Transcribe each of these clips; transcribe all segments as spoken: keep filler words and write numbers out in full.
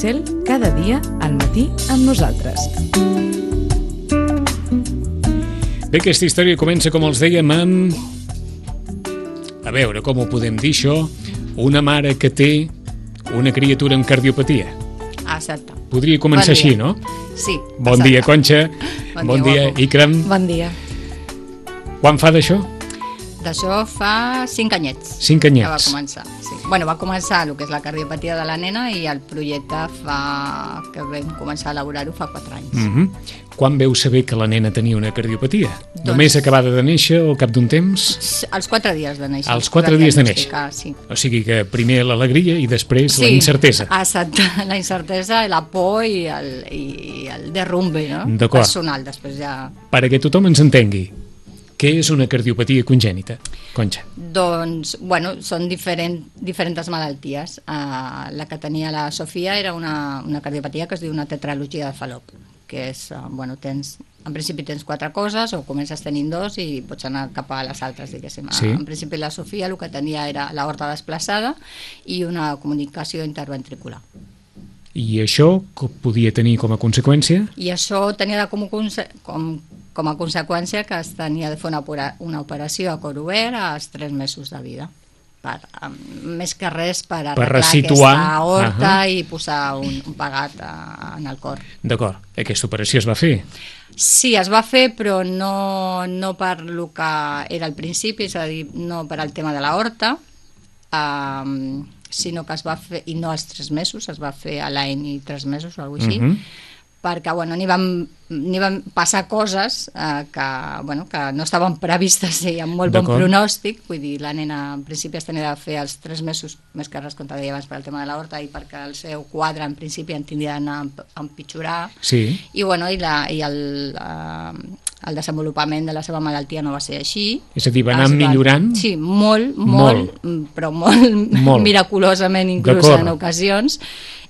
Cel cada dia al matí amb nosaltres. Bé, aquesta història comença, com els dèiem, amb... A veure, com ho podem dir, això? Una mare que té una criatura amb cardiopatia. Exacte. Podria començar Bon així, dia. no? Sí. Bon exacte. dia, Conxa. Bon, Bon dia, dia, Ikram. Bon dia. Quan fa d'això? D'això fa cinc anyets. Cinc Que va anyets. començar. Sí. Bueno, va començar el que és la cardiopatia de la nena i el projecte fa... que vam començar a elaborar-ho fa quatre anys. Mhm. Quan veu saber que la nena tenia una cardiopatia? Doncs- Només acabada de néixer o al cap d'un temps? Als quatre dies de néixer. Als quatre Va dies de diagnosticar, Sí. O sigui que primer l'alegria i després Sí, la incertesa. Exacte, la incertesa, la por i el, i el derrumbe, no? D'acord. Personal, després ja... Perquè tothom ens entengui, què és una cardiopatia congènita, Conxa? Doncs, bueno, són diferent, diferents malalties. Uh, la que tenia la Sofia era una, una cardiopatia que es diu una tetralogia de Fallot, que és, uh, bueno, tens, en principi tens quatre coses, o comences tenint dos i pots anar cap a les altres, diguéssim. Sí. En principi la Sofia el que tenia era l'aorta desplaçada i una comunicació interventricular. I això co- podia tenir com a conseqüència? I això tenia de com, conse- com, com a conseqüència que es tenia de fer una, opera- una operació a cor obert als tres mesos de vida. Per, um, més que res per arreglar ressituar. aquesta aorta Ahà. i posar un, un pegat a, en el cor. D'acord, aquesta operació es va fer. Sí, es va fer, però no, no per lo que era al principi, és a dir, no per al tema de l'aorta, um, sinó que es va fer, i no als tres mesos, es va fer a l'any i tres mesos o alguna cosa així, Mhm. perquè bueno, n'hi van, n'hi van passar coses eh, que, bueno, que no estaven previstes i amb molt bon D'acord. pronòstic, vull dir, la nena en principi es tenia de fer els tres mesos, més que res com te deia abans per al tema de l'aorta i perquè el seu quadre en principi en tindria d'anar a emp- a empitjorar, Sí. i, bueno, i, la, i el, eh, el desenvolupament de la seva malaltia no va ser així. És a dir, va anar Es millorant? Sí, molt, Molt. molt, però molt, Molt. miraculosament inclús D'acord. en ocasions.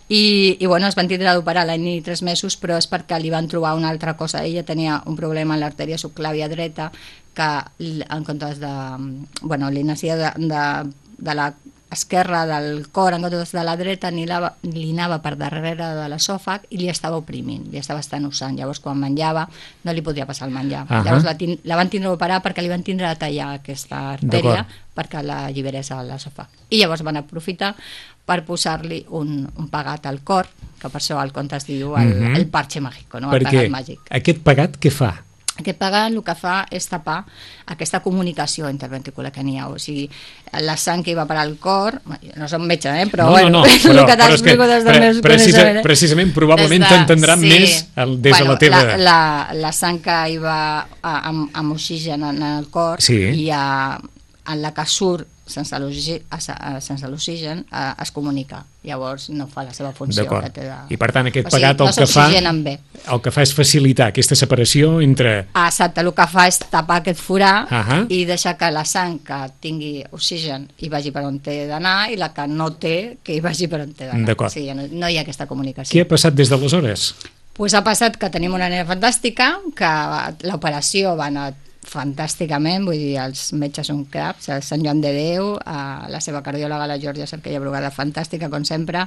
I, i bueno, es van tindre d'operar l'any i tres mesos, però és perquè li van trobar una altra cosa. Ella tenia un problema en l'artèria subclàvia dreta que l- en comptes de... Bueno, li naixia de, de, de la esquerra del cor en comptes de la dreta, ni la, li anava per darrere de l'esòfag i li estava oprimint, li estava estanussant. Llavors, quan menjava, no li podia passar el menjar. Ahà. Llavors, la, tin- la van tindre d'operar perquè li van tindre de tallar aquesta artèria D'acord. perquè l'alliberés a l'esòfag. I llavors van aprofitar per posar-li un, un pegat al cor, que per això el conte es diu el, Mhm. el parche mágico, no? El Perquè pegat màgic. aquest pegat què fa? Aquest pegat el que fa és tapar aquesta comunicació interventricular que n'hi ha, o sigui, la sang que hi va per al cor, no som metge, eh? però no, bueno, no, no, és però, el que però és que t'explico des del pre- meu precisa, coneixement. precisament, probablement Des de- t'entendran sí. més el, des bueno, de la teva... La, la, la sang que hi va a, amb, amb oxigen en el cor Sí. i a, en la que surt sense l'oxi- a- a- sense l'oxigen eh, es comunica, llavors no fa la seva funció D'acord. que té de... I per tant aquest O sigui, pegat el no que fa s'oxigenen bé. el que fa és facilitar aquesta separació entre... Exacte, el que fa és tapar aquest forat Ahà. i deixar que la sang que tingui oxigen hi vagi per on té d'anar i la que no té que hi vagi per on té d'anar. D'acord. O sigui, no, no hi ha aquesta comunicació. Què ha passat des d'aleshores? Pues ha passat que tenim una nena fantàstica, que l'operació va anar fantàsticament, vull dir, els metges són craps, el Sant Joan de Déu, eh, la seva cardiòloga, la Georgia Cerquella Brugada, fantàstica, com sempre,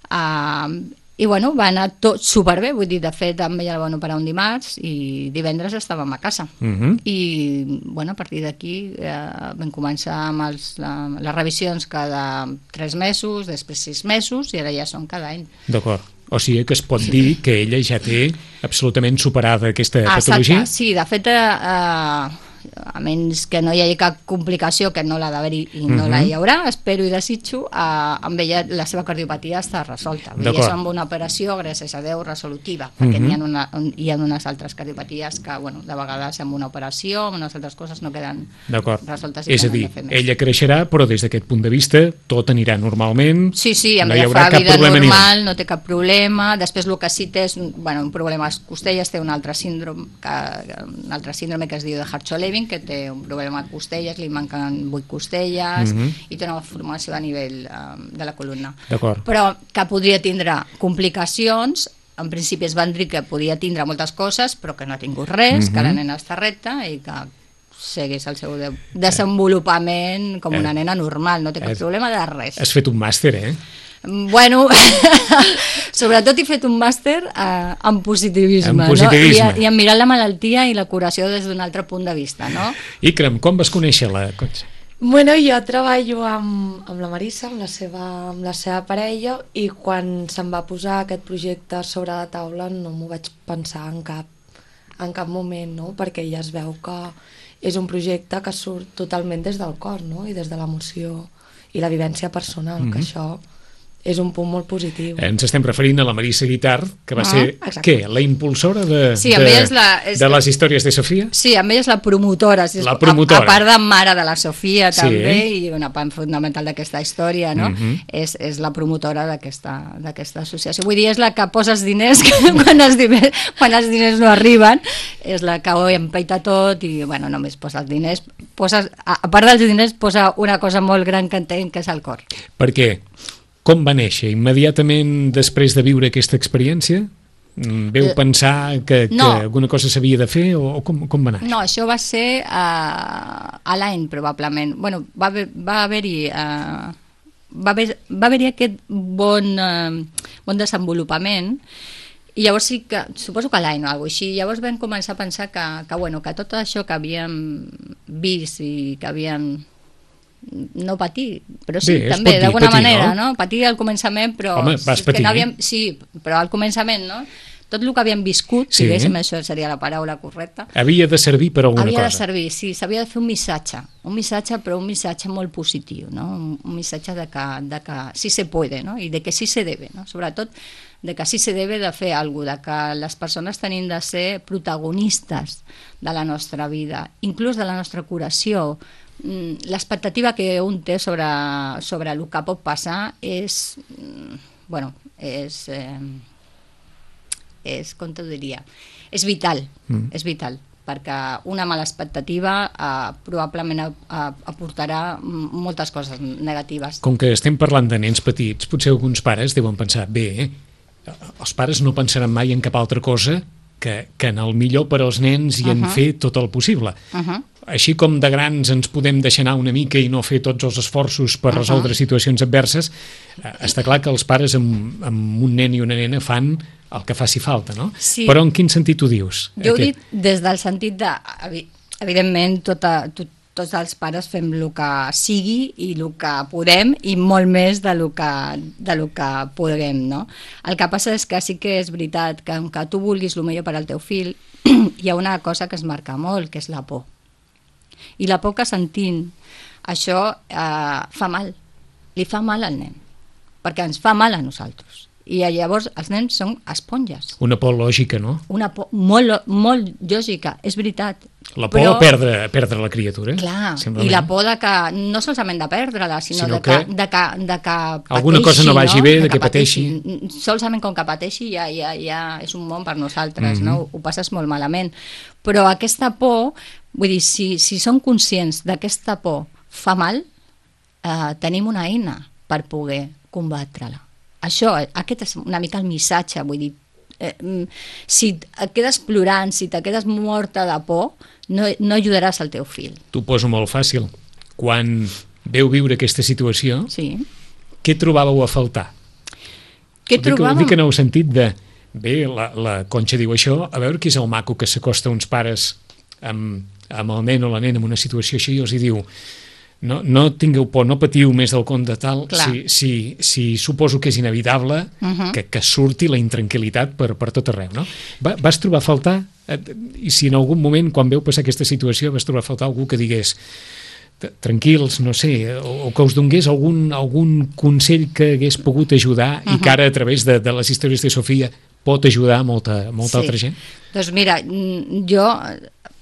eh, i bueno, va anar tot superbé, vull dir, de fet, amb ella la van operar un dimarts i divendres estàvem a casa. Mhm. I, bueno, a partir d'aquí eh, vam començar amb els, la, les revisions cada tres mesos, després sis mesos, i ara ja són cada any. D'acord. O sigui que es pot dir que ella ja té absolutament superada aquesta patologia? Exacte, sí, de fet, eh, a menys que no hi hagi cap complicació, que no l'ha d'haver-hi i no Mhm. la hi haurà, espero i desitjo, eh, amb ella la seva cardiopatia està resolta. Vull dir, D'acord. és amb una operació, gràcies a Déu, resolutiva, perquè Mhm. n'hi ha, una, hi ha unes altres cardiopaties que, bueno, de vegades amb una operació, amb unes altres coses no queden D'acord. resoltes. i És a tenen dir, de fer més. ella creixerà, però des d'aquest punt de vista tot anirà normalment. Sí, sí, amb no hi ella haurà fa cap vida problema ni un. normal, no té cap problema. Després el que sí té és un, bueno, un problema a les costelles, té un altre síndrome que, un altre síndrome que es diu de Hart-Levin, que té un problema a costelles, li manquen vuit costelles Mhm. i té una formació a nivell eh, de la columna. D'acord. Però que podria tindre complicacions. En principi es van dir que podia tindre moltes coses, però que no ha tingut res, Mhm. que la nena està recta i que segueix el seu de desenvolupament com una Eh. nena normal, no té cap Eh. problema de res. Has fet un màster, eh? Bueno, sobretot he fet un màster eh, en positivisme, en positivisme. No? I, i en mirar la malaltia i la curació des d'un altre punt de vista, no? Ikram, com vas conèixer la Conxa? Bueno, jo treballo amb, amb la Marissa, amb la, seva, amb la seva parella, i quan se'm va posar aquest projecte sobre la taula no m'ho vaig pensar en cap, en cap moment, no? Perquè ja es veu que és un projecte que surt totalment des del cor, no? I des de l'emoció i la vivència personal, mm-hmm. que això és un punt molt positiu. Ens estem referint a la Marissa Guitart, que va Ah, ser, exacte. què, la impulsora de, Sí, de, amb ella és la- és- de les històries de Sofia? Sí, amb ella és la promotora, si és, La promotora. A, a part de mare de la Sofia Sí. també, i una part fonamental d'aquesta història, no? Mhm. és, és la promotora d'aquesta d'aquesta associació. Vull dir, és la que posa els diners quan, els diners quan els diners no arriben, és la que ho empeita tot i, bueno, només posa els diners. Posa, a, a part dels diners, posa una cosa molt gran que entenc, que és el cor. Perquè, com va néixer? Immediatament després de viure aquesta experiència? Mm, Veu Eh, pensar que, que no. alguna cosa s'havia de fer o, o com, com va anar? No, això va ser uh, a l'any, probablement. Bueno, va, haver, va haver-hi... Uh, va haver, va haver-hi aquest bon, uh, bon desenvolupament i llavors sí que, suposo que l'any o alguna cosa així, llavors vam començar a pensar que, que, bueno, que tot això que havíem vist i que havíem no patir, però sí, Bé, es també, pot dir, d'alguna patir, manera, no? no? Patir al començament, però... Home, vas és que patir, no eh? havíem, sí, però al començament, no? Tot el que havíem viscut, Sí. si diguéssim, això seria la paraula correcta, Havia de servir per alguna havia de cosa. servir, sí, s'havia de fer un missatge, un missatge, però un missatge molt positiu, no? Un, un missatge de que, de que sí se puede, no? I de que sí se debe, no? Sobretot de que sí se debe de fer alguna cosa, de que les persones tenim de ser protagonistes de la nostra vida, inclús de la nostra curació. Mm, l'expectativa que un té sobre, sobre el que pot passar és, mm, bueno, és... Eh, és, com t'ho diria, és vital, mm. és vital, perquè una mala expectativa eh, probablement a, a, aportarà moltes coses negatives. Com que estem parlant de nens petits, potser alguns pares deuen pensar, bé, eh, els pares no pensaran mai en cap altra cosa que, que en el millor per als nens i uh -huh. en fer tot el possible. Uh -huh. Així com de grans ens podem deixar anar una mica i no fer tots els esforços per resoldre uh -huh. situacions adverses, eh, està clar que els pares amb, amb un nen i una nena fan el que faci falta, no? Sí. Però en quin sentit ho dius? Jo ho Aquest- dic des del sentit de, evi- evidentment, tota, tot, tots els pares fem el que sigui i el que podem i molt més de lo que, de lo que podem, no? El que passa és que sí que és veritat que que tu vulguis el millor per al teu fill, hi ha una cosa que es marca molt, que és la por. I la por que sentim, això eh, fa mal, li fa mal al nen, perquè ens fa mal a nosaltres. I llavors els nens són esponges. Una por lògica, no? Una por molt, molt lògica, és veritat. La por Però, a perdre, a perdre la criatura. clar, simplement. i la por de que, no solament de perdre-la, sinó, Sinó de, que, que de, que, de que alguna pateixi, cosa no vagi no? bé, de que pateixi. Solament com que pateixi ja, ja, ja és un món per nosaltres, Mhm. no? Ho passes molt malament. Però aquesta por, vull dir, si, si som conscients d'aquesta por fa mal, eh, tenim una eina per poder combatre-la. Això, aquest és una mica el missatge, vull dir, eh, mm, si et quedes plorant, si te quedes morta de por, no, no ajudaràs al teu fill. T'ho poso molt fàcil. Quan veu viure aquesta situació, Sí. què trobàveu a faltar? Què Ho dic, ho trobàvem? dic en el sentit de, bé, la, la Conxa diu això, a veure qui és el maco que s'acosta a uns pares amb, amb el nen o la nena en una situació així i els hi diu, no, no tingueu por, no patiu més del compte tal, Clar. si, si, si suposo que és inevitable Mhm. que, que surti la intranquil·litat per, per tot arreu, no? Va, vas trobar a faltar, eh, i si en algun moment, quan veu passar aquesta situació, vas trobar a faltar algú que digués t- tranquils, no sé, o, o que us donés algun, algun consell que hagués pogut ajudar uh -huh. i que ara a través de, de les històries de Sofia pot ajudar molta, molta Sí. altra gent? Doncs mira, mm, jo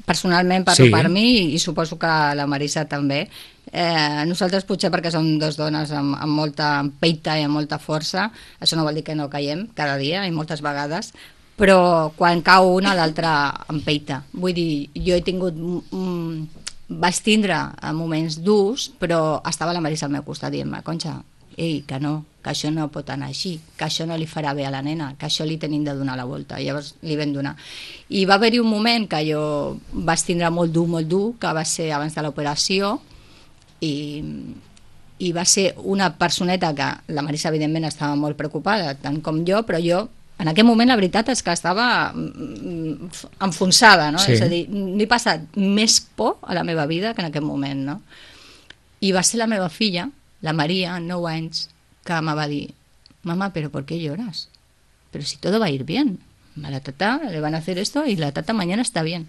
personalment parlo Sí. per mi i suposo que la Marissa també. Eh, nosaltres potser perquè som dos dones amb, amb molta peita i amb molta força, això no vol dir que no caiem cada dia i moltes vegades, però quan cau una l'altra empeita. Vull dir, jo he tingut... Mm, vaig tindre moments durs, però estava la Marissa al meu costat dient-me, Conxa, ei, que no, que això no pot anar així, que això no li farà bé a la nena, que això li tenim de donar la volta. I llavors li vam donar. I va haver-hi un moment que jo vaig tindre molt dur, molt dur, que va ser abans de l'operació, i, i va ser una personeta que la Marisa evidentment estava molt preocupada, tant com jo, però jo en aquell moment la veritat és que estava enfonsada, no? Sí. És a dir, n'he passat més por a la meva vida que en aquell moment, no? I va ser la meva filla, la Maria, nou anys, que me va dir, mamá, ¿pero por qué lloras? Pero si todo va a ir bien. A la tata le van a hacer esto y la tata mañana está bien.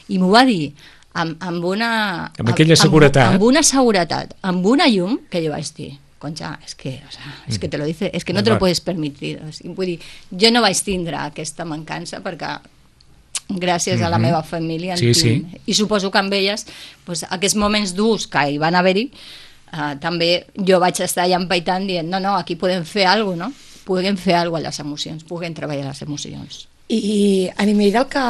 I m'ho va dir amb, amb una... Amb aquella seguretat. Amb, amb una seguretat, amb una llum, que jo vaig dir, Concha, es que, o sea, es que te lo dice, es que no te lo puedes permitir. O sigui, vull dir, jo no vaig tindre aquesta mancança perquè gràcies a la meva família en sí, tinc. sí. I suposo que amb elles, pues, aquests moments durs que hi van haver-hi, uh, també jo vaig estar allà empaitant dient, no, no, aquí podem fer alguna cosa, no? Puguem fer alguna cosa a les emocions, puguem treballar les emocions. I a nivell del que,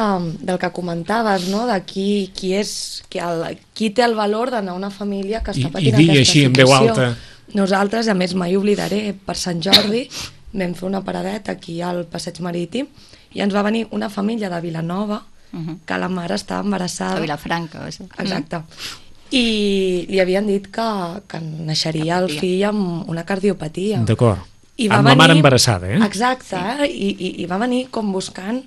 del que comentaves, no? De qui, qui, és, qui, el, qui té el valor d'anar a una família que està I, patint i dir aquesta així situació. en veu alta. Nosaltres, a més, mai oblidaré, per Sant Jordi vam fer una paradeta aquí al Passeig Marítim i ens va venir una família de Vilanova Uh -huh. que la mare estava embarassada. A Vilafranca. O sigui. Exacte. I li havien dit que, que naixeria el fill amb una cardiopatia. D'acord. I va amb venir, la mare embarassada, eh? Exacte, eh? I, i, i va venir com buscant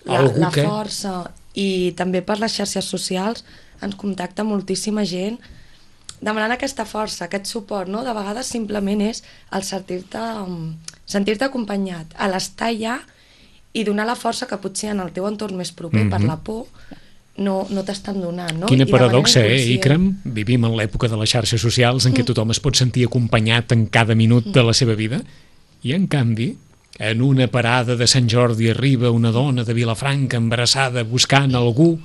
la, Algú la que... força. I també per les xarxes socials ens contacta moltíssima gent demanant aquesta força, aquest suport, no? De vegades simplement és el sentir-te sentir-te acompanyat, a l'estar allà i donar la força que potser en el teu entorn més proper, mm-hmm. per la por, no, no t'estan donant, no? Quina I paradoxa, eh, inconscient. Ikram? Vivim en l'època de les xarxes socials en què tothom es pot sentir acompanyat en cada minut de la seva vida i, en canvi, en una parada de Sant Jordi arriba una dona de Vilafranca embarassada buscant algú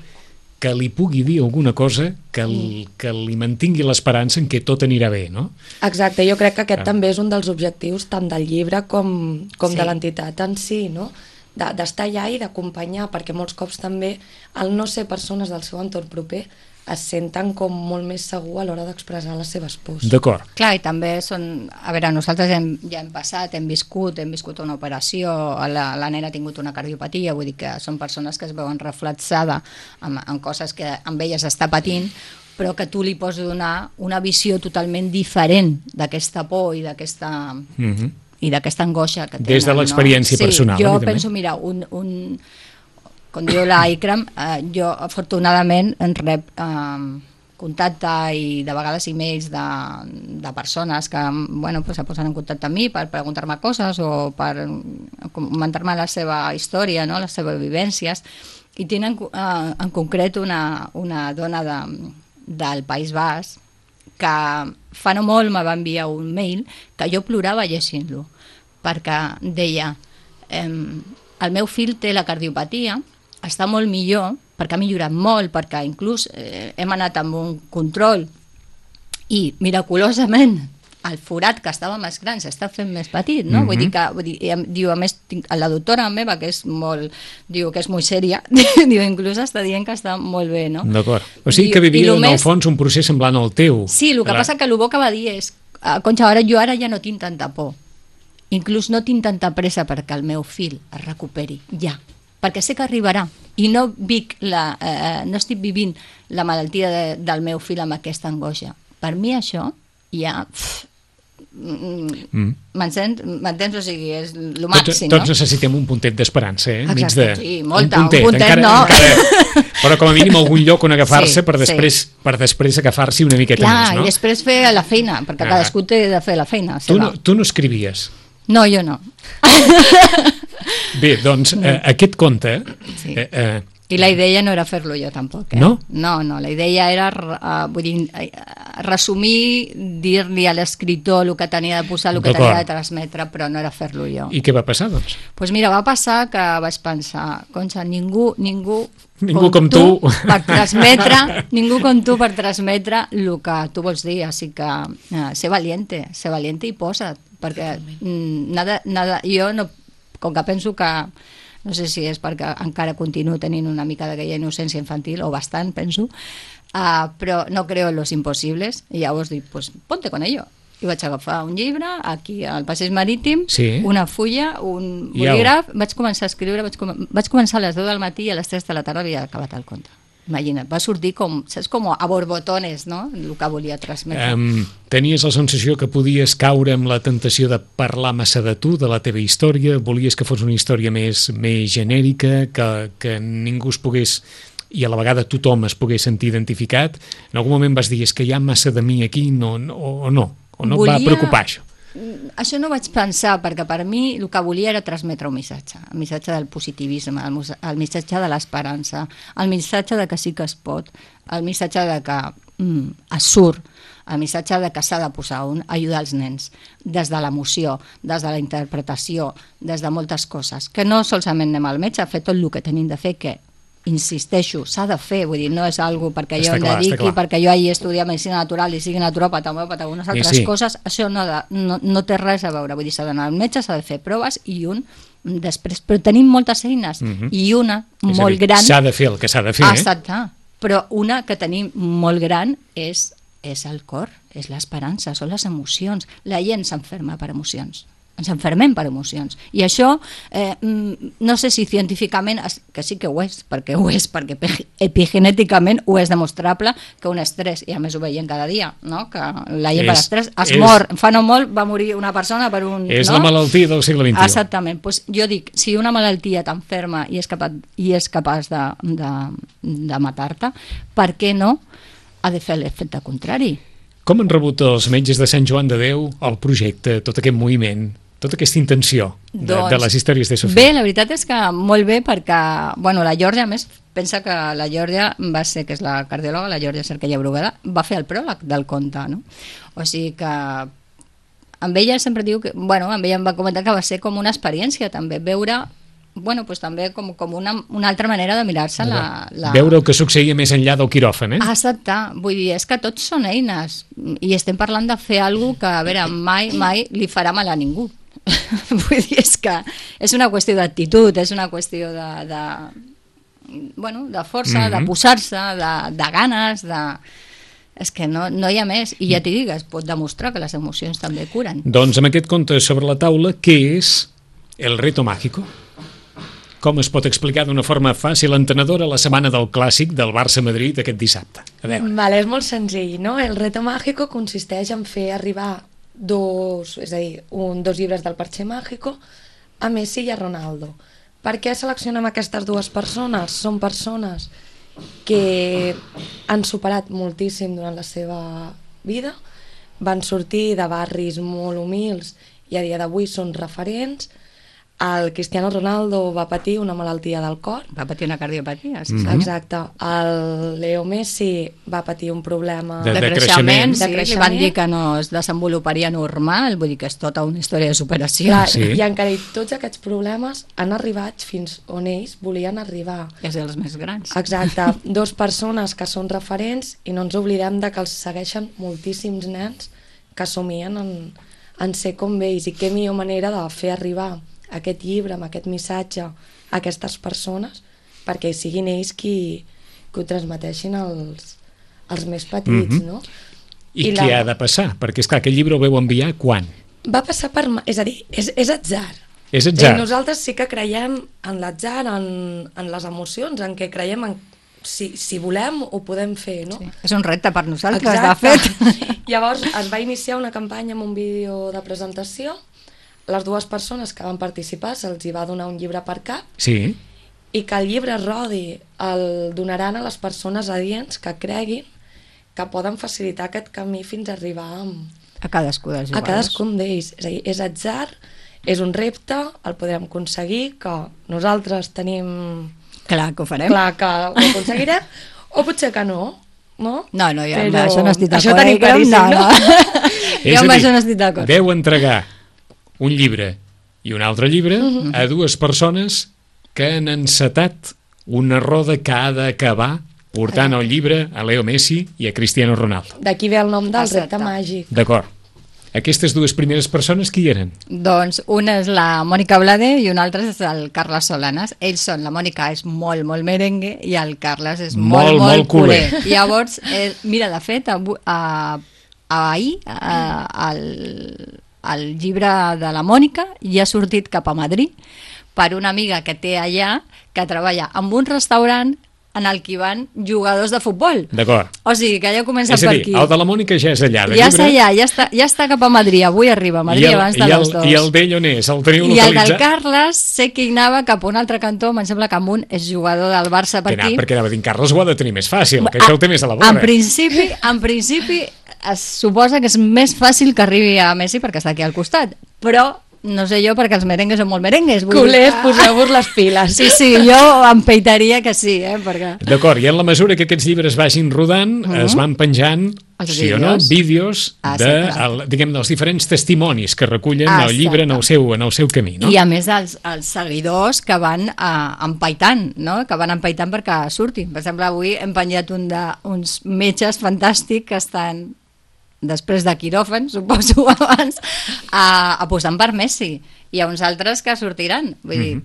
que li pugui dir alguna cosa que, el, que li mantingui l'esperança en què tot anirà bé, no? Exacte, jo crec que aquest Ah. també és un dels objectius tant del llibre com, com Sí. de l'entitat en si, no? De- d'estar allà i d'acompanyar, perquè molts cops també, al no ser persones del seu entorn proper, es senten com molt més segur a l'hora d'expressar les seves pors. D'acord. Clar, i també són... A veure, nosaltres hem, ja hem passat, hem viscut, hem viscut una operació, la, la nena ha tingut una cardiopatia, vull dir que són persones que es veuen reflexada en, en coses que amb elles està patint, però que tu li pots donar una visió totalment diferent d'aquesta por i d'aquesta... Mhm. i d'aquesta angoixa que tenen. Des de l'experiència no? personal, Sí, jo evidentment. penso, mira, un, un, com diu la Ikram, eh, jo afortunadament en rep eh, contacte i de vegades e-mails de, de persones que bueno, pues, se posen en contacte amb mi per preguntar-me coses o per comentar-me la seva història, no? Les seves vivències, i tenen eh, en concret una, una dona de, del País Basc que fa no molt me va enviar un mail que jo plorava llegint-lo, perquè deia ehm, el meu fill té la cardiopatia, està molt millor, perquè ha millorat molt, perquè inclús eh, hem anat amb un control i miraculosament el forat que estava més gran s'està fent més petit, no? Mhm. Vull dir que, vull dir, em- diu, a més, tinc, la doctora meva, que és molt, diu que és molt sèria, diu, inclús està dient que està molt bé, no? D'acord. O sigui Diu- que i vivia lo en el més- fons un procés semblant al teu. Sí, el que Clar. passa que el bo que va dir és "Ah, Concha, ara jo ara ja no tinc tanta por. Inclús no tinc tanta pressa perquè el meu fill es recuperi, ja. Perquè sé que arribarà. I no, vic la, eh, no estic vivint la malaltia de, del meu fill amb aquesta angoixa. Per mi això ja... Pff, Mm. M'entens? M'entens? O sigui, és el Tots, màxim, tots no? necessitem un puntet d'esperança, eh? Enmig Exacte, de... sí, molta, un puntet, puntet encara, no. Encara, però com a mínim algun lloc on agafar-se Sí, per, després, sí. per després agafar-s'hi una miqueta Clar, més, no? i després fer la feina, perquè Ah. cadascú té de fer la feina Tu seva. no, tu no escrivies. No, jo no. Bé, doncs, eh, aquest conte... Sí. Eh, eh, I la idea no era fer-lo jo tampoc, eh? No? No, no, la idea era uh, vull dir, eh, resumir, dir-li a l'escriptor el que tenia de posar, el que D'acord. tenia de transmetre, però no era fer-lo jo. I què va passar, doncs? Pues mira, va passar que vaig pensar, Concha, ningú, ningú, Ningú com tu. per transmetre, ningú com tu per transmetre el que tu vols dir, així que uh, ser valiente, ser valiente i posa't, perquè mm, nada, nada, jo no, com que penso que no sé si és perquè encara continuo tenint una mica d'aquella innocència infantil, o bastant, penso, uh, però no creo en los imposibles, i llavors dic, pues ponte con ello. I vaig agafar un llibre, aquí al Passeig Marítim, Sí. una fulla, un I au. bolígraf, vaig començar a escriure, vaig, com vaig començar a les deu del matí i a les tres de la tarda havia acabat el conte. Imagina't, va sortir com, saps, com a borbotones, no?, el que volia transmetre. Um, tenies la sensació que podies caure amb la tentació de parlar massa de tu, de la teva història, volies que fos una història més, més genèrica, que, que ningú es pogués, i a la vegada tothom es pogués sentir identificat. En algun moment vas dir, és que hi ha massa de mi aquí, no, no, o no, o no Volia... et va preocupar això? Això no vaig pensar, perquè per mi el que volia era transmetre un missatge, el missatge del positivisme, el, el missatge de l'esperança, el missatge de que sí que es pot, el missatge de que mm, es surt, el missatge de que s'ha de posar un, ajudar els nens, des de l'emoció, des de la interpretació, des de moltes coses, que no solament anem al metge a fer tot el que tenim de fer, que insisteixo, s'ha de fer, vull dir, no és algo perquè jo em dediqui, perquè jo hagi estudiat medicina natural i sigui naturòpata, homeòpata, unes altres sí, sí. coses, això no, de, no, no té res a veure, vull dir, s'ha d'anar al metge, s'ha de fer proves i un després, però tenim moltes eines uh-huh. i una és molt dir, gran... S'ha de fer el que s'ha de fer, exacte, eh? Però una que tenim molt gran és, és el cor, és l'esperança, són les emocions, la gent s'enferma per emocions, ens enfermem per emocions, i això eh, no sé si científicament, que sí que ho és, perquè ho és, perquè epigenèticament ho és demostrable que un estrès, i a més ho veiem cada dia, no? Que la gent per estrès es és, mor, fa no molt va morir una persona per un... És no? la malaltia del segle vint-i-u. Exactament, pues jo dic, si una malaltia t'enferma i és capaç, i és capaç de, de, de matar-te, per què no ha de fer l'efecte contrari? Com han rebut els metges de Sant Joan de Déu el projecte, tot aquest moviment, tota aquesta intenció de, doncs, de les històries de Sofia? Bé, la veritat és que molt bé, perquè bueno, la Georgia, a més, pensa que la Georgia va ser, que és la cardiòloga, la Georgia Cerquella Bruguera, va fer el pròleg del conte, no? O sigui que amb ella sempre diu que, bueno, amb ella em va comentar que va ser com una experiència també, veure, bueno, pues també com, com una, una altra manera de mirar-se la, la... Veure el que succeïa més enllà del quiròfan, eh? Exacte, vull dir, és que tots són eines, i estem parlant de fer alguna cosa que, a veure, mai, mai li farà mal a ningú. Vull dir, és que és una qüestió d'actitud, és una qüestió de, de, bueno, de força, mm-hmm. de posar-se, de, de ganes, de... és que no, no hi ha més, i ja t'hi dic, es pot demostrar que les emocions també curen. Doncs amb aquest conte sobre la taula, què és el reto mágico? Com es pot explicar d'una forma fàcil, entenedora, la setmana del clàssic del Barça-Madrid aquest dissabte? A veure. Vale, és molt senzill, no? El reto mágico consisteix en fer arribar dos, és a dir, un, dos llibres del Parche Mágico a Messi i a Ronaldo. Per què seleccionem aquestes dues persones? Són persones que han superat moltíssim durant la seva vida, van sortir de barris molt humils i a dia d'avui són referents. El Cristiano Ronaldo va patir una malaltia del cor. Va patir una cardiopatia, sí. Mm-hmm. Exacte. El Leo Messi va patir un problema de, de, de creixement, creixement. sí, de creixement. Li van dir que no es desenvoluparia normal, vull dir que és tota una història de superació. Clar, sí. I encara tots aquests problemes han arribat fins on ells volien arribar. És dels més grans. Exacte. Dos persones que són referents i no ens oblidem de que els segueixen moltíssims nens que somien en, en ser com ells, i què millor manera de fer arribar aquest llibre, amb aquest missatge a aquestes persones, perquè siguin ells qui, qui ho transmeteixin als, als més petits, mm-hmm. no? I, I què la... ha de passar? Perquè, esclar, aquest llibre ho veu enviar quan? Va passar per... És a dir, és, és atzar. És atzar. I nosaltres sí que creiem en l'atzar, en, en les emocions, en què creiem en... Si, si volem, ho podem fer, no? Sí. És un repte per nosaltres, exacte. de fet. Llavors es va iniciar una campanya amb un vídeo de presentació. Les dues persones que van participar se'ls hi va donar un llibre per cap, sí. i que el llibre rodi el donaran a les persones adients que creguin que poden facilitar aquest camí fins a arribar a, a cadascú dels a cadascun d'ells. És a dir, és atzar, és un repte, el podrem aconseguir, que nosaltres tenim... Clar que ho farem. Clar que ho aconseguirem, o potser que no. No, no, no ja, però... això no estic d'acord. Això tenim claríssim, no? no? no. Jo amb això no estic d'acord. Veu entregar un llibre i un altre llibre uh-huh. a dues persones que han encetat una roda que ha d'acabar portant el llibre a Leo Messi i a Cristiano Ronaldo. D'aquí ve el nom del repte màgic. D'acord. Aquestes dues primeres persones qui eren? Doncs una és la Mònica Blade i una altra és el Carles Solanes. Ells són, la Mònica és molt, molt merengue i el Carles és molt, molt, molt, molt culer. culer. Llavors, eh, mira, de fet, a, a, a ahir a, el... el llibre de la Mònica ja ha sortit cap a Madrid per una amiga que té allà, que treballa en un restaurant en el que van jugadors de futbol. D'acord. O sigui, que ja comença És a per dir, aquí. el de la Mònica ja és allà, de Ja llibre. està allà, ja està, ja està cap a Madrid, avui arriba a Madrid I el, abans de i el, les dues. I el d'ell on és? El teniu I el del localitzat? Carles sé que hi anava cap a un altre cantó, em sembla que amunt és jugador del Barça per Que anava, aquí. perquè anava dient, Carles ho ha de tenir més fàcil, que això ho té més a la vora. En principi, en principi es suposa que és més fàcil que arribi a Messi perquè està aquí al costat, però no sé jo perquè els merengues són molt merengues. vull dir Culers, que- poseu-vos les piles. Sí, sí, jo em peitaria que sí, eh, perquè... D'acord, i en la mesura que aquests llibres vagin rodant, Mhm. es van penjant, Els sí o no, vídeos. vídeos Ah, de, sí, clar. el, diguem, dels diferents testimonis que recullen Ah, el llibre en el seu, en el seu camí, no? I a més els, els seguidors que van uh, empaitant, no? que van empaitant perquè surtin. Per exemple, avui hem penjat un de, uns metges fantàstics que estan després de quiròfan, suposo abans, uh, apostant per Messi. Hi ha uns altres que sortiran. Vull dir, Mhm.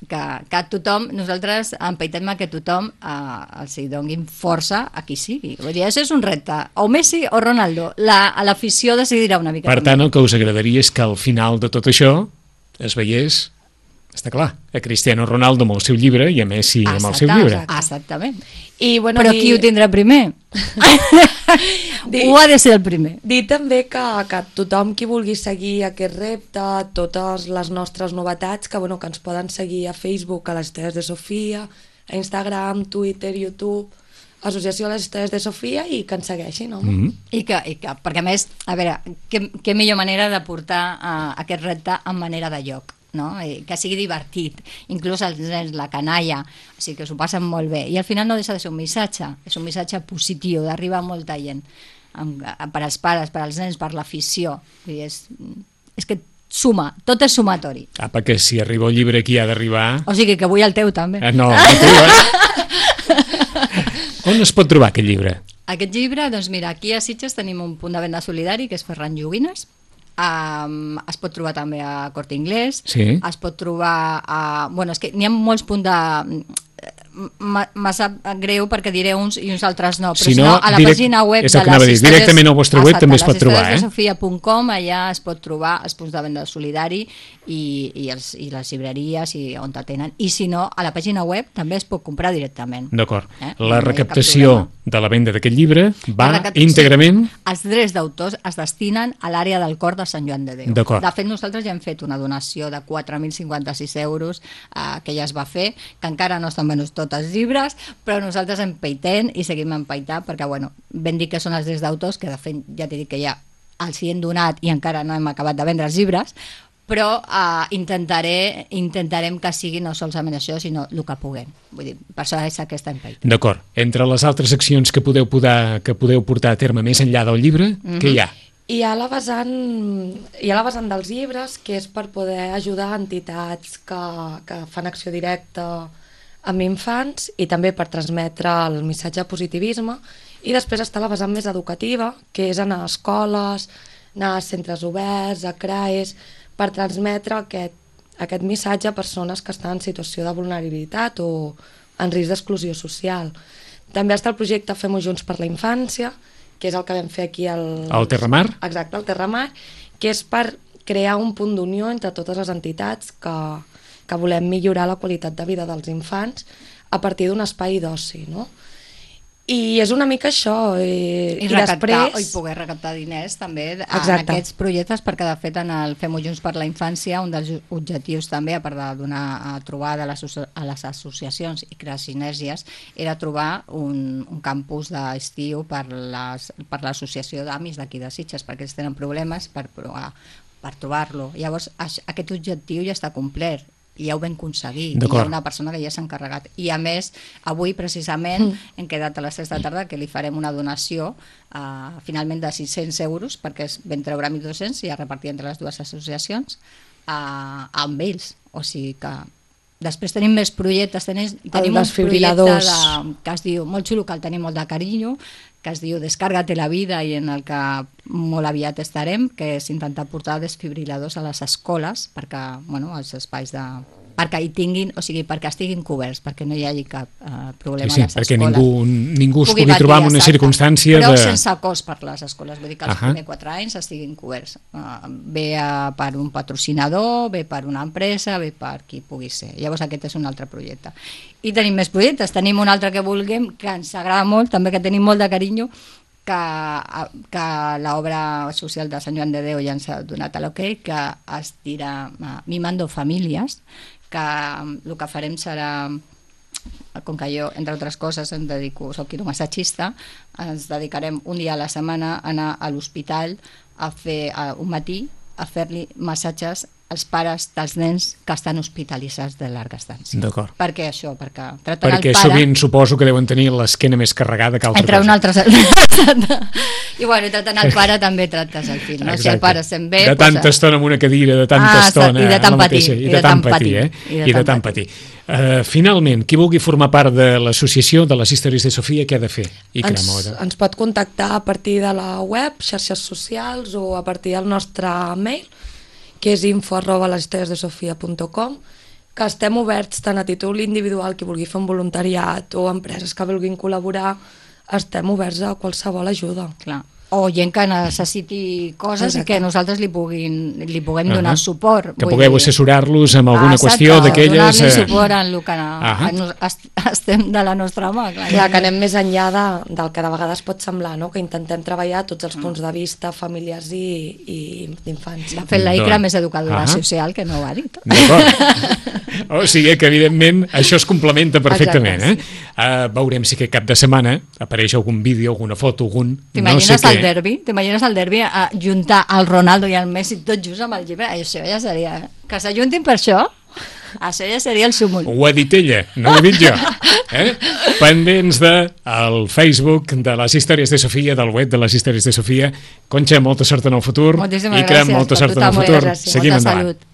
que, que tothom, nosaltres empaitem a que tothom uh, els hi donguin força a qui sigui. Vull dir, això és un repte. O Messi o Ronaldo. La, a l'afició decidirà una mica. Per també. tant, el que us agradaria és que al final de tot això es veiés, està clar, a Cristiano Ronaldo amb el seu llibre i a Messi amb el seu Exacte, llibre. exacte. Exactament. I, bueno, Però dir- qui ho tindrà primer? Dir- Ho ha de ser el primer. Dir també que, que tothom qui vulgui seguir aquest repte, totes les nostres novetats, que, bueno, que ens poden seguir a Facebook, a les històries de Sofia, a Instagram, Twitter, YouTube, Associació de les Històries de Sofia, i que ens segueixin, home. Mhm. I que, i que, perquè a més, a veure, què, què millor manera de portar uh, aquest repte en manera de lloc, no? I que sigui divertit, inclús els nens, la canalla, o sigui que s'ho passen molt bé. I al final no deixa de ser un missatge, és un missatge positiu, d'arribar a molta gent, amb, per als pares, per als nens, per l'afició. Vull dir, És, és que suma, tot és sumatori. Apa, que si arriba el llibre aquí ha d'arribar... O sigui que vull el teu també. Eh, no, no tu, eh? On es pot trobar aquest llibre? Aquest llibre, doncs mira, aquí a Sitges tenim un punt de venda solidari que és Ferran Joguines. Um, es pot trobar també a Corte Inglés, Sí. es pot trobar a... Bueno, és que n'hi ha molts punts de... M'ha sap greu perquè diré uns i uns altres no, però Si si no, no, a la direct- pàgina web és de el que anava a dir, les històries- directament al vostre web Exacte, també es pot les trobar, històries eh? de sofia punt com, allà es pot trobar els punts de venda solidari i, i, els, i les llibreries i on t'atenen, i si no, a la pàgina web també es pot comprar directament. D'acord. Eh? La No hi ha cap recaptació problema. de la venda d'aquest llibre va La recaptació- íntegrament... Els drets d'autors es destinen a l'àrea del cor de Sant Joan de Déu. D'acord. De fet, nosaltres ja hem fet una donació de quatre mil cinquanta-sis euros eh, que ja es va fer, que encara no estan venuts tots els llibres, però nosaltres empaitem i seguim empaitant perquè, bueno, ben dir que són els drets d'autors, que de fet ja t'he dit que ja els hi hem donat i encara no hem acabat de vendre els llibres, però eh, intentaré, intentarem que sigui no solament això, sinó el que puguem. Vull dir, per això és aquesta empaita. D'acord. Entre les altres accions que podeu, podar, que podeu portar a terme més enllà del llibre, Mhm. què hi ha? I hi ha la vessant, hi ha la vessant dels llibres, que és per poder ajudar entitats que, que fan acció directa amb infants i també per transmetre el missatge de positivisme. I després està la vessant més educativa, que és anar a escoles, anar a centres oberts, a C R A Es, per transmetre aquest, aquest missatge a persones que estan en situació de vulnerabilitat o en risc d'exclusió social. També està el projecte Fem-ho Junts per la Infància, que és el que vam fer aquí al... Al Terramar? Exacte, al Terramar, que és per crear un punt d'unió entre totes les entitats que, que volem millorar la qualitat de vida dels infants a partir d'un espai d'oci, no? I és una mica això. I, I, i recaptar, després... i poder recaptar diners també en Exacte. aquests projectes, perquè de fet en el Fem-ho Junts per la Infància un dels objectius també, a part de donar a trobar de les, a les associacions i crear sinergies, era trobar un, un campus d'estiu per les, per l'associació d'amis d'aquí de Sitges, perquè ells tenen problemes per, provar, per trobar-lo. Llavors aix- aquest objectiu ja està complert i ja ho vam aconseguir, i hi D'acord. ha una persona que ja s'ha encarregat, i a més avui precisament mm. hem quedat a les tres de la tarda que li farem una donació uh, finalment de sis-cents euros perquè es vam treure mil dos-cents i a repartir entre les dues associacions uh, amb ells, o sigui que després tenim més projectes, tenim, tenim dels un projecte fibriladors. de, que es diu, molt xulo, que el tenim molt de carinyo, que es diu Descárgate la vida, i en el que molt aviat estarem, que és intentar portar desfibriladors a les escoles, perquè bueno, els espais de, perquè hi tinguin, o sigui, perquè estiguin coberts, perquè no hi hagi cap uh, problema sí, sí, a les perquè escoles. Ningú, ningú es pugui patir, trobar en una exacte. circumstància Però de... sense cost per les escoles, vull dir que els Ahà. primers quatre anys estiguin coberts. Uh, bé uh, per un patrocinador, bé per una empresa, bé per qui pugui ser. Llavors aquest és un altre projecte. I tenim més projectes, tenim un altre que vulguem, que ens agrada molt, també que tenim molt de carinyo, que, que l'obra social de Sant Joan de Déu ja ens ha donat l'ok, que es dirà uh, Mimando Famílies, que el que farem serà, com que jo, entre altres coses, em dedico, soc quiromassatgista, ens dedicarem un dia a la setmana a anar a l'hospital a fer a, un matí a fer-li massatges als pares dels nens que estan hospitalitzats de llarga estància. D'acord. Per què això? Perquè tracten Perquè el pare... sovint suposo que deuen tenir l'esquena més carregada que altra entre cosa. un altre... I bueno, tractant el pare també tractes el fill, no? Si el pare se'n ve... De tanta pues, estona en una cadira, de tanta Ah, estona... i de tant la mateixa, patir, I de tant patir, eh? I de tant patir. Uh, finalment, qui vulgui formar part de l'associació de les Històries de Sofia, què ha de fer? I Ens, crema, ens pot contactar a partir de la web, xarxes socials o a partir del nostre mail, que és info arroba les històries de sofia punt com, que estem oberts tant a títol individual, qui vulgui fer un voluntariat, o empreses que vulguin col·laborar, estem oberts a qualsevol ajuda. Clar. O gent que necessiti coses Exacte. i que nosaltres li, puguin, li puguem Uh-huh. donar suport. Que Vull pugueu dir- assessorar-los amb alguna Ah, qüestió exacte, d'aquelles... donar-li eh, suport en el que Ahà. nos, est, estem de la nostra mà. Clar, Clar, que anem més enllà de, del que de vegades pot semblar, no? Que intentem treballar tots els punts de vista familiars i, i d'infants. De fet, la Icra Doncs, més educadora ahà. social, que no ho ha dit. D'acord. O sigui que, evidentment, això es complementa perfectament. Eh? Exacte, Uh, veurem si aquest cap de setmana apareix algun vídeo, alguna foto, algun... T'imagines no sé el què. derbi? T'imagines el derbi a juntar el Ronaldo i el Messi tots junts amb el llibre? Això ja seria... Que s'ajuntin per això, això ja seria el súmul. Ho ha dit ella, no ho he dit jo. Eh? Pendents de el Facebook de les Històries de Sofia, del web de les Històries de Sofia. Conxa, molta sort en el futur. Moltíssimes Icra, gràcies molta per sort tot en el el futur. gràcies. Seguim Molta endavant. salut.